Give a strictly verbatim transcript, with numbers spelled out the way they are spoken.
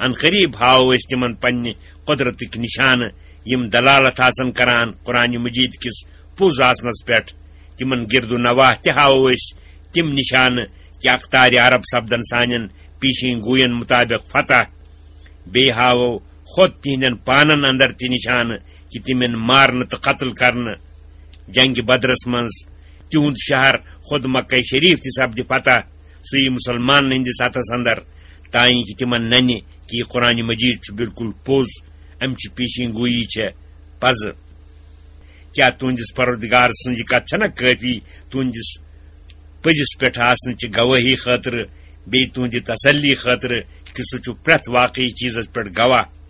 عنقریب ہاوو أسۍ تِمن پننہِ قۄدرتٕکۍ نِشانہٕ، یِم دلالت آسن کران قرآن مجید کِس پوٚز آسنس پٮ۪ٹھ۔ تِمن گِرد و نواح تہِ ہاوو أسۍ تِم نِشانہٕ کہِ اقتارِ عرب سپدن سانٮ۪ن پیشین گوین مطابق فتح۔ بیٚیہِ ہاوو خۄد تِہنٛدٮ۪ن پانن اندر تہِ نِشانہٕ کہِ تِم یِن مارنہٕ تہٕ قتل کرنہٕ۔ جنگِ بدرس منٛز تِہُنٛد شہر خۄد مکہ شریف تہِ سپدِ فتح، سُہ یی مسلمانن ہٕنٛدِس اتھس اندر، تانۍ کہِ تِمن ننہِ کہِ یہِ قرآن مجید چھُ بالکل پوٚز، امہِ چہِ پیشین گویی چھےٚ پزٕ۔ کیا تُہنٛدِس پروردگار سٕنٛز یہِ کتھ چھنہ کٲفی تُہنٛدِس پٔزِس پٮ۪ٹھ آسنہٕ چہِ گوٲہی خٲطرٕ، بیٚیہِ تُہنٛدِ تسلی خٲطرٕ کہِ سُہ چھُ پرٛٮ۪تھ واقعی چیٖزس پٮ۪ٹھ گواہ؟